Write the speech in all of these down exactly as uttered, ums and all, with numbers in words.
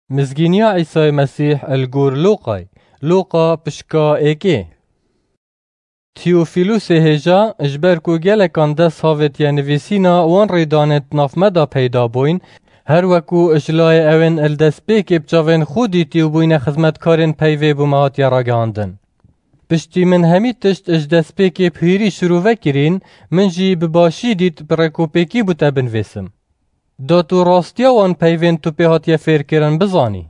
Mizgîniya Îsayê Mesîh li gor Lûqay. Lûqa pişka êkê. Tiyofîlusê hêja, ji ber ku gelekan dest havêtiye nivîsîna wan rêdanên di nav me de peyda bûyn, her weku ji layê ewên li destpêkê bi çavên xwe dîtî û bûyne xizmetkarên peyvê bo me hatiye ragihandin. Piştî min hemî tişt ji destpêkê bi hîrî şirove kirîn, min jî bi başî dît bi rêkopêkî bo te binivîsim. Da tu rastiya wan peyvên tu pê hatiye fêrkirin bizanî.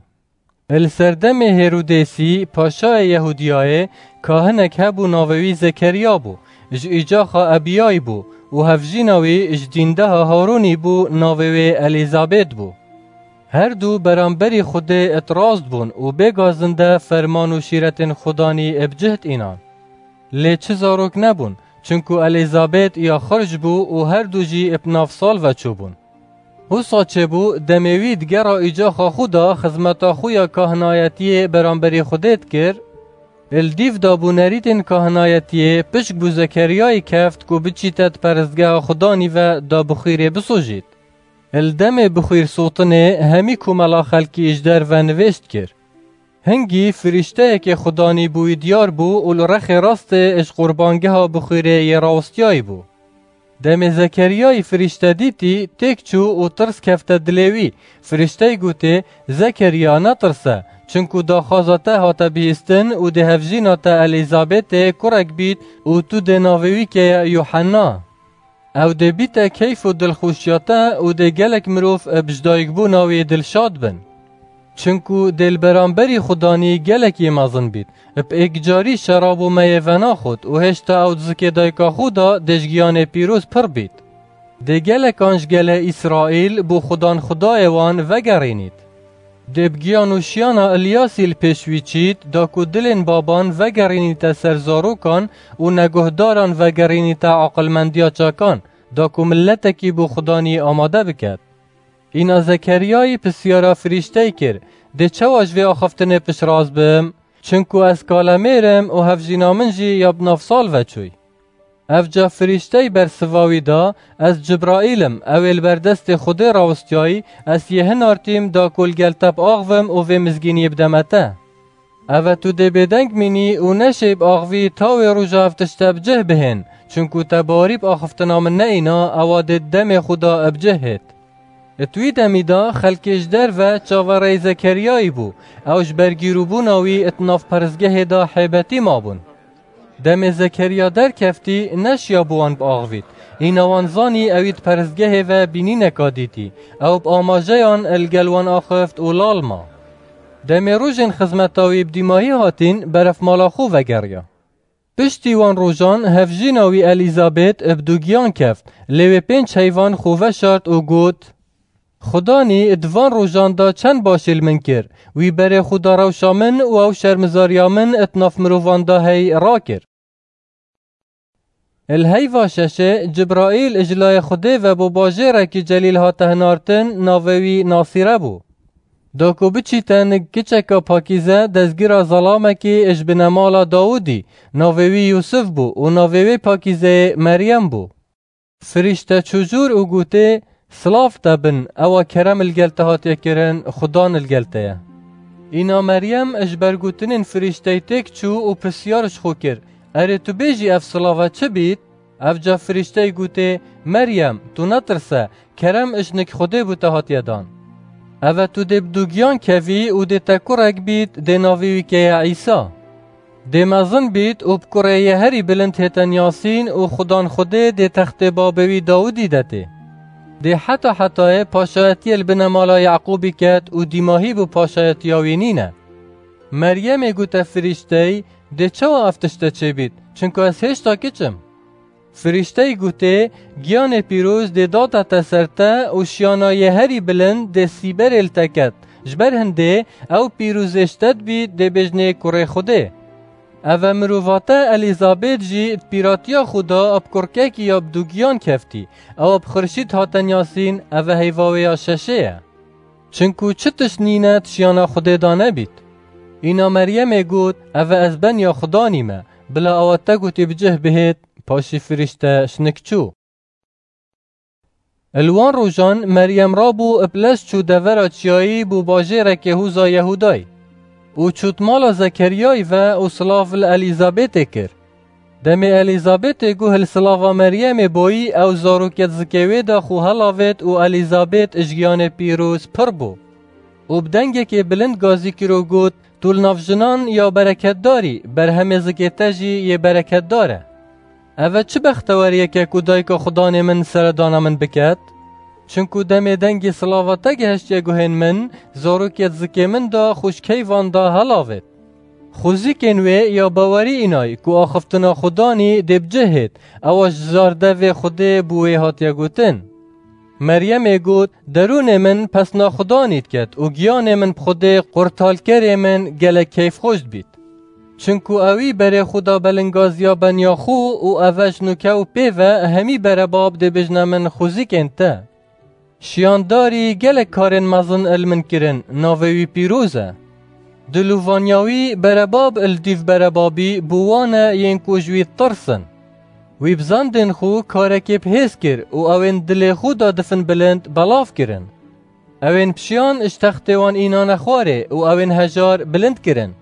Li serdemê Hêrodêsî, paşayê Yehûdiyayê, kahinek hebû navê wî Zekeriya bû, ji îcaxa Ebiyay bû û hevjîna wî ji dîndeha Harûnî bû, navê wê Elîzabêt bû. Her du beramberî Xwedê itiraz bûn û bêgazinde ferman û şîretên Xudanî bi cih dînan. Lê çi zarok nebûn, çinku Elîzabêt ya xirc bû û her du jî bi nav sal ve çûbûn. Wisa çêbû, demê wî di gera îcaxa xwe de xizmeta xwe ya kahinayetiyê beramberî Xwedê dikir, li dîv de bo nerîtên kahinayetiyê pişk bo Zekeriyayê keft ku biçîte di perestgeha Xudanî ve da bixwîrê bisojît. Li demê bixwîr sotinê hemî komela xelkî ji derve nivêj dikir. Hingî firîşteyekê Xudanî bo wî diyar bû û li rexê rastê ji qurbangeha bixwîrê yê rawestiyayî bû. Demê Zekeriyayî firîşte dîtî, têk çû û tirs kefte dilê wî. Firîşteyî gotê, Zekeriya, netirse, çinku daxwaza te hate bihîstin û dê hevjîna te Elîzabetê kurek bît û tu dê navê wî keye Yuhenna. Ew dê bîte keyf û dilxweşiya te û dê gelek mirov bi ji dayikbûna wî dilşad bin. Çinku dê li beramberî Xudanî gelek yê mezin bît. Bi êkcarî şerabo me yê venaxwit û hêşta ew di zikê dayika xwe de dê ji giyanê pîroz pir bît. Dê gelekan ji gelê Îsraîl bo Xudan Xwedayê wan vegerînît. Dê bi giyan û şiyana Îlyasî li pêş wî çît, da ku dilên baban vegerînîte ser zarokan û neguhdaran vegerînîte aqilmendiya çakan, da ku miletekî bo Xudanî amade biket. Îna Zekeriyayî pisyara firîşteyî kir, Dê çawa ji vê axiftinê piştrast bim? Çinku ez kalemêr im û hevjîna min jî ya bi nav sal ve çûy. Evca firîşteyî bersiva wî da, Ez Cibraîl im, ew ê li ber destê Xwedê rawistiyayî, ez yê hinartîm da ku li gel te biaxivim û vê mizgîniyê bideme te. Eve tu dê bêdeng mînî û neşê biaxivî ta wê roja ev tişte bi cih bihên, çinku te bawerî bi axiftina min neîna, ewa dê di demê xwe de bi cih hêt. Di wî demî de xelkê ji derve çaverêyî Zekeriyayî bû, ew ji ber gîrûbûna wî di nav peristgehê de hêbetî mabûn. Demê Zekeriya derkeftî, neşiya bi wan biaxivît. Îna wan zanî ewî di peristgehê ve bînîneka dîtî. Ew bi amajeyan li gel wan axift û lal ma. Demê rojên xizmeta wî bi dîmahî hatîn, beref mala xwe vegeriya. Piştî wan rojan hevjîna wî Elîzabet bi dugiyan keft, lê wê pênc heyvan xwe veşart û got, Xudanî di van rojan de çend başî li min kir, wî berê xwe da rewşa min û ew şermizariya min di nav mirovan de hey rakir. Li heyva şeşê Cibraîl ji layê Xwedê ve bo bajêrekî celîl hate hinartin, navê wî Nasîre bû. Da ku biçîte nik kiçeka pakîze destgîra zelamekî ji binemala Dawidî, navê wî Yûsif bû û navê wê pakîzeyê Meryem bû. Firîşte çû jûr û gotê, Silav te bin, ewa kerem li gel te hatiye kirin, Xudan li gel te ye. Îna Meryem ji ber gotinên firîşteyî têk çû û pisyar ji xwe kir, Erê tu bêjî ev silava çi bît? Evca firîşteyî gotê, Meryem, tu netirse, kerem ji nik Xwedê bo te hatiye dan. Eve tu dê bi dugiyan kevî û dê te kurek bît, dê navê wî keye Îsa. Dê mezin bît û bi kurê yê herî bilind hête niyasîn û Xudan Xwedê dê textê babê wî Dawidî detê. Dê heta hetayê paşayetiyê li binemala Yaqûbî ket û dîmahî bo paşayetiya wî nîne. Meryemê gote firîşteyî, Dê çawa ev tişte çêbît? Çinku ez hêşta kiç im. Firîşteyî gotê, Giyanê pîroz dê date te ser te û şiyana yê herî bilind dê sîberê li te ket. Ji ber hindê ew pîrozê ji te dibî dê bêjnê kurê Xwedê. Eve mirova te Elîzabêt jî di pîratiya xwe de bi kurkekî ya bi dugiyan keftî. Ew bi xirşît hate niyasîn, eve heyva wê ya şeşê ye. Çinku çi tişt nîne di şiyana Xwedê de nebît. Îna Meryemê got, Eve ez benya Xudanî me, bila ewa te gotî bi cih bihêt, paşî firîşte şinik çû. Li wan rojan Meryem rabû ib lez çû devera çiyayî bû bajêrekê hûza Yehûdayî. Û çût mala Zekeriyayî ve û silav li Elîzabetê kir. Demê Elîzabetê guh li silava Meryemê boyî, ew zarokê di zikê wê de xwe helavêt û Elîzabet ji giyanê pîroz pir bû. Û bi dengekê bilind gazî kir û got, "Tu li nav jinan ya bereketdarî, berhemê zikê te jî yê bereketdar e. Eve çi bexteweriyek e ku dayika Xudanê min seredana min biket? Çinku demê dengê silava te gehiştiye guhên min, zarokê di zikê min de xwe ji keyvan de helavêt." Xwezîkên wê ya bawerî înay ku axiftina Xudanî dê bi cih hêt, ewa ji zardevê Xwedê bi wê hatiye gotin. Meryemê got, "Derûnê min pesna Xudanî diket û giyanê min bi Xwedê qurtalkerê min gelek keyfxweş dibît. Çinku ewî berê xwe da belingaziya beniya xwe û eve ji nûke û pê ve hemî berebab dê bêjne min xwezîkên te. Şiyandarî gelek karên mezin li min kirin, navê wî pîroz e. Dilovaniya wî berebab li dîv berebabî bû wan e yên ku ji wî ditirsin. Wî bi zandên xwe karekê bi hêz kir û ewên dilê xwe da difin bilind belav kirin. Ewên pişiyan ji textê wan înane xwarê û ewên hejar bilind kirin.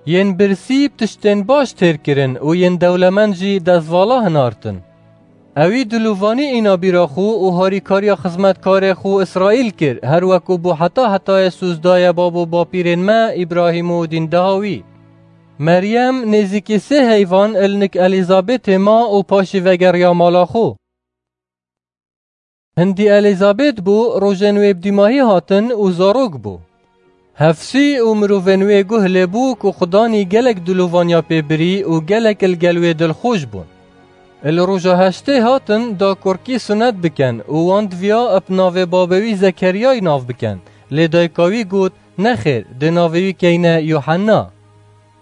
Yên birsî bi tiştên baş têr kirin û yên dewlemend jî destvala hinartin. Ewî dilovanî îna bîra xwe û harîkariya xizmetkarê xwe Îsraîl kir, her weku bû heta hetayê sûz daye bab û bapîrên me Îbrahîm û dîndeha wî." Meryem nêzîkî sê heyvan li nik Elîzabetê ma û paşî vegeriya mala xwe. Hindî Elîzabet bû, rojên wê bi dîmahî hatin û zarok bû. Hefsî û mirovên wê guh lê bû ku Xudanî gelek dilovaniya pê birî û gelek li gel wê dilxweş bûn. Li roja heştê hatin da kurkî sunet bikin û wan diviya bi navê babê wî Zekeriyayî nav bikin, lê dayika wî got, "Nexêr, dê navê wî keyne Yuhenna."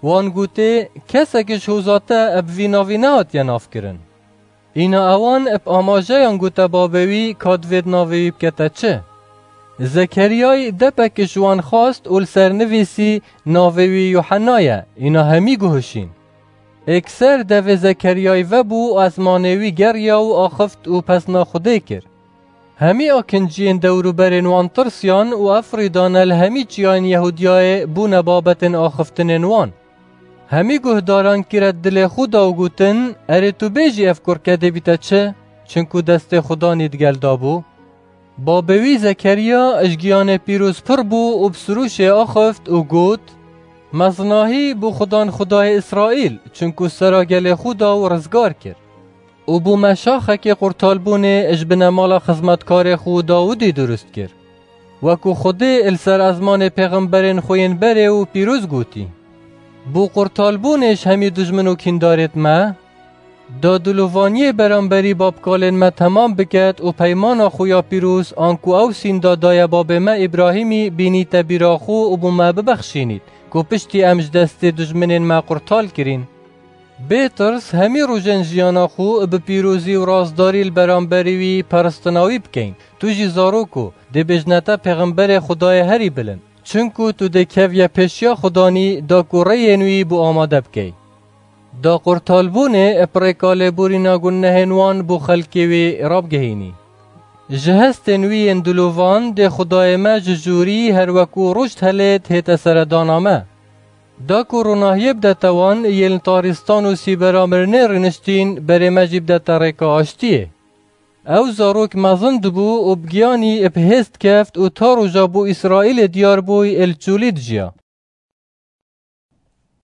Wan gotê, "Kesek ji hoza te bi vî navî nehatiye navkirin." Îna ewan bi amajeyan gote babê wî ka divêt navê wî bikete çi. Zekeriyayî depek ji wan xwest û li ser nivîsî, "Navê wî Yuhenna ye." Îna hemî guhişîn. Êkser devê Zekeriyayî vebû û ezmanê wî geriya û axift û pesna Xwedê kir. Hemî akinciyên dewrûberên wan tirsiyan û efrîdane li hemî çiyayên Yehûdiyayê bûne babetên axiftinên wan. Hemî guhdaran kire dilê xwe da û gotin, "Erê tu bêjî ev kurke dê bîte çi? Çinku destê Xudanî digel da bû." Babê wî Zekeriya ji giyanê pîroz pir bû û bi sirûşê axift û got, "Mezinahî bû Xudan Xudayê Îsraîl, çinku sera gelê xwe da û rizgar kir. Û bû me şaxekê qurtalbûnê ji binemala xizmetkarê xwe Dawidî durust kir. Weku Xwedê li ser ezmanê pêxemberên xwe yên berê û pîroz gotî. Bû qurtalbûnê ji hemî dijmin û kîndarêt me. Da dilovaniyê beramberî babkalên me temam biket û peymana xwe ya pîroz, anku ew sînda daye babê me Îbrahîmî, bînîte bîra xwe û bû me bibexşînît, ku piştî em ji destê dijminên me qurtal kirîn. Bê tirs hemî rojên jiyana xwe bi pîrozî û rastdarî li beramberî wî peristina wî bikeyn. Tu jî zarok û dê bêjne te pêxemberê Xwedayê herî bilind. Çinku tu dê keviye pêşiya Xudanî da ku rêyên wî bo amade bikey." Da qurtalbûnê bi rêka lêborîna gunehên wan bo xelkê wî rabigihînî. Ji hestên wî yên dilovan dê Xudayê me ji jûrî her weku roj dihelêt hête seredana me. Da ku ronahiyê bidete wan yên li tarîstan û sîbera mirinê rûniştîn, berê me jî bidete rêka aştiyê. Ew zarok mezin dibû û bi giyanî bi hêz dikeft û ta roja bo Îsraîlê diyar bûy ê li çolî dijiya.